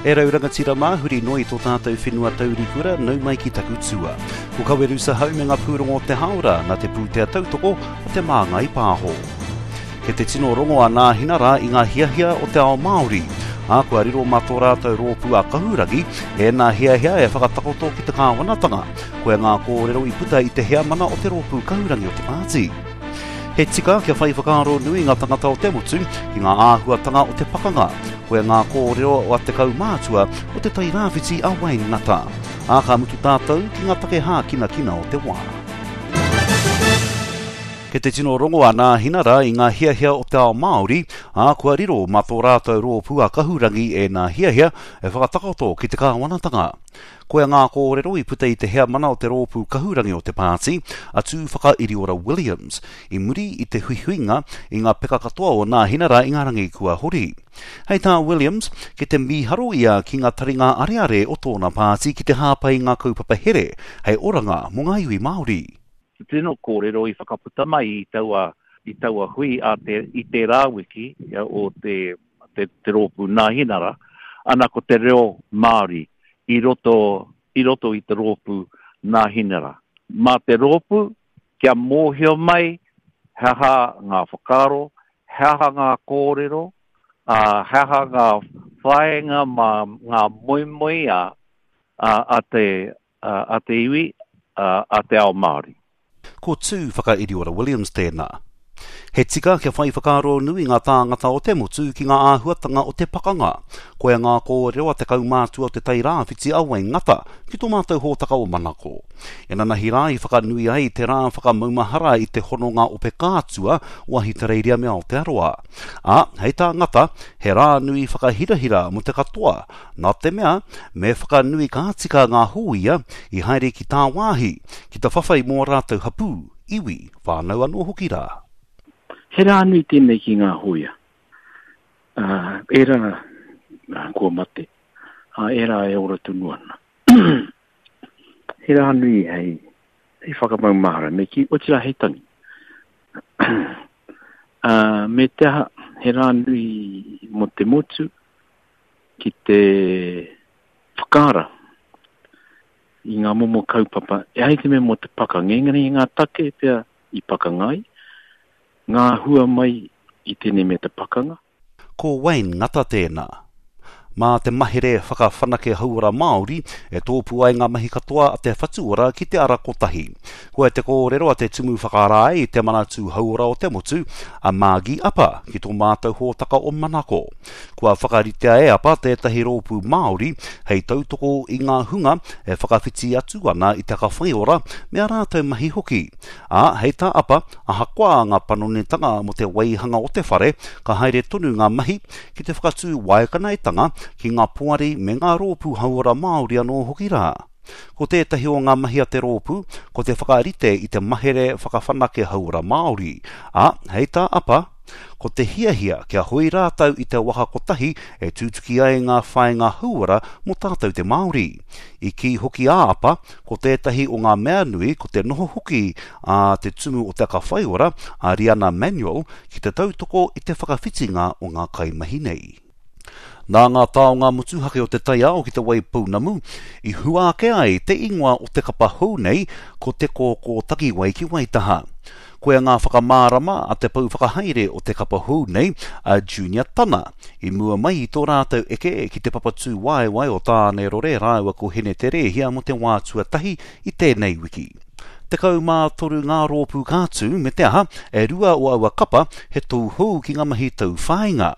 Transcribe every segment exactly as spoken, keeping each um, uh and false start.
E rau rangatira mā, huri noa i tō tātou whenua taurikura, nau mai ki taku tua. Ko Kawerusa Hau me ngā pūrongo o te hāora, nā te pūtea tautoko o Te Māngai Pāho. Kei te tino rongo a Nāhinara i ngā hiahia o te ao Māori, ā, kua riro mā tō rātou rōpū a Kahurangi ēnā hiahia e whakatakoto ki te kāwanatanga. Koia ngā kōrero i puta i te heamana o te rōpū Kahurangi o te pāti. He tika kia whai whakaaro nui ngā tangata o te motu ki ngā āhuatanga o te pakanga. Koia ngā kōrero a te kaumātua o Te Tai Rāwhiti a Wayne Ngata. Ā, ka mutu tātou ki ngā take hākinakina o te wā. Kei te tino rongo a Nāhinara i ngā hiahia o te ao Māori, ā, kua riro mā tō rātou rōpū a Kahurangi ēnā hiahia e whakatakoto ki te kāwanatanga. Koia ngā kōrero i puta i te heamana o te rōpū kahurangi o te pāti, a Tūwhakairiora Williams, i muri i te huihuinga i ngā peka katoa o Nāhinara i ngā rangi kua hori. Hei tā Williams, kei te mīharo ia ki ngā taringa areare o tōna pāti ki te hāpai i ngā kaupapa here hei oranga mō ngā iwi Māori. Te tino kōrero i whakaputa mai i taua, i taua hui a te, i tērā wiki o te, te, te rōpū Nāhinara, ana ko te reo Māori i roto, i roto i te rōpū Nāhinara. Mā te rōpū kia mōhio mai he aha ngā whakaaro, he aha ngā kōrero, ā, he aha ngā whāinga mā ngā moemoeā a te, a te iwi, a te ao Māori. Ko Tū Whakairiora Williams tēnā. He tika kia whai whakaaro nui ngā tāngata o te motu ki ngā āhuatanga o te pakanga. Koia ngā kōrero a te kaumātua o Te Tai Rāwhiti a Wayne Ngata ki tō mātou hōtaka o Manako. Inanahi rā i whakanui ai te rā whakamaumahara i te hononga ope kātua o Ahitereiria me Aotearoa. Ā, hei tā Ngata, he rā nui whakahirahira mō te katoa, nā te mea, me whakanui ka tika ngā hōia i haere ki tāwāhi, ki te whawhai mō ā rātou hapū, iwi, whānau anō hoki rā. He rā nui tēnei ki ngā hōia, ā, ērā kua mate, ā, ērā e ora tonu ana. He rā nui hei, hei whakamaumahara, me kī, otirā hei tangi. Ā, me te aha, he rā nui mō te motu ki te whakaara i ngā momo kaupapa, e ai te mea mō te pakanga, engari i ngā take pea i pakanga ai, ngā hua mai i tēnei mea te pakanga. Ko Wayne Ngata tēnā. Mā te mahere whakawhanake hauora Māori e tōpū ai ngā mahi katoa a te Whatu Ora ki te ara kotahi. Koia te kōrero a te Tumu Whakarae i te Manatū Hauora o te Motu, a Margie Apa, ki tō mātou hōtaka o Manako. Kua whakaritea e Apa tētahi rōpū Māori hei tautoko i ngā hunga e whakawhiti atu ana i te aka whaiora me ā rātou mahi hoki. Ā, hei tā Apa, ahakoa ngā panonitanga mō te waihanga o te whare, ka haere tonu ngā mahi ki te whakatū waekanaetanga ki ngā poari me ngā rōpū hauora Māori anō hoki rā. Ko tētahi o ngā mahi a te rōpū, ko te whakarite i te mahere whakawhanake hauora Māori, ā, hei tā Apa, ko te hiahia kia hoi rātou i te waka kotahi e tutuki ai ngā whāinga hauora mō tātou te Māori. I kī hoki a Apa, ko tētahi o ngā mea nui ko te noho hoki a te tumu o Te Aka Whaiora, a Riana Manuel, ki te tautoko i te whakawhitinga o ngā kaimahi nei. Nā ngā taonga motuhake o te taiao ki Te Waipounamu i hua ake ai te ingoa o te kapa hou nei ko Te Kōkō Takiwai ki Waitaha. Koia ngā whakamārama a te pou whakahaere o te kapa hou nei, a Junior Tana, i mua mai i tō rātou eke ki te papa tūwaewae o Tānerore rāua ko Hineterēhia mō te wā tuatahi i tēnei wiki. Tekau mā toru ngā rōpū ka tū, me te aha, e rua o aua kapa he tauhou ki ngā mahi tauwhāinga.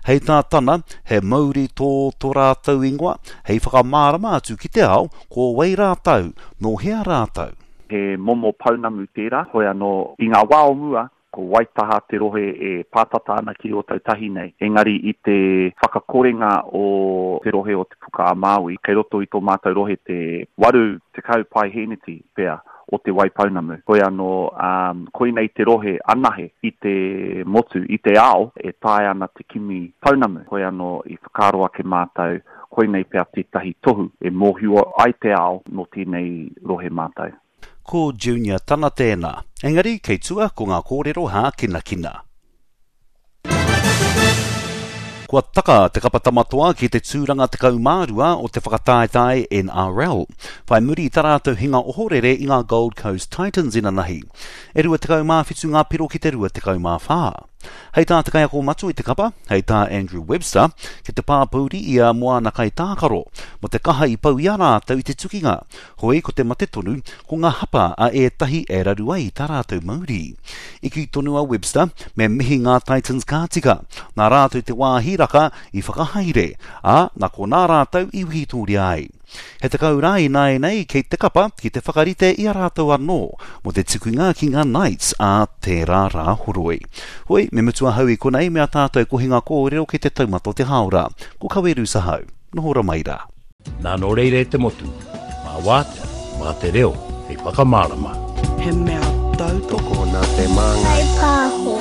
Hei tā Tana, he mauri tō tō rātou ingoa, hei whakamārama atu ki te ao ko wai rātou, nō hea rātou. He momo pounamu tērā, hoi anō, i ngā wā o mua, ko Waitaha te rohe e pātata ana ki Ōtautahi nei, engari i te whakakorenga o te rohe o Te Puka-a-Māui, kei roto i tō mātou rohe te waru tekau paehēneti pea o Te Waipounamu. Hoi anō, koinei te rohe anahe i te motu, i te ao, e taea ana te kimi pounamu. Hoi anō, i whakaaro ake mātou, koinei pea tētahi tohu e mōhio ai te ao nō tēnei rohe mātou. Ko Junior Tana tēnā. Engari, kei tua ko ngā kōrero hākinakina. Kua taka te kapa tamatoa ki te tūranga tekau mā rua o te whakataetae N R L. Whai muri i tā rātou hinga ohorere i ngā Gold Coast Titans inanahi. E rua tekau mā whitu ngā piro ki te rua tekau mā whā. Hei tā te kaiako matua i te kapa, hei tā Andrew Webster, ki te pāpouri ia mō āna kaitākaro, mō te kaha i pau i a rātou i te tukinga. Hoi ko te mate tonu, ko ngā hapa a ētahi e raru ai tā rātou mauri. I kī tonu a Webster, me mihi ngā Titans ka tika, nā rātou te wā hīraka i whakahaere, ā, nā konā rātou i wikitōria ai. He tekau rā ināianei kei te kapa ki te whakarite i a rātou anō mō te tukunga ki ngā Knights ā tērā Rāhoroi. Hoi, me mutu ahau i konei me a tātou kohinga kōrero ki te taumata o te hāora. Ko Kaweru Sahau. Noho ora mai rā. Nā nō reira e te motu, mā wātea, mā te reo, hei whakamārama. He mea tautoko nā te Māngai Pāho.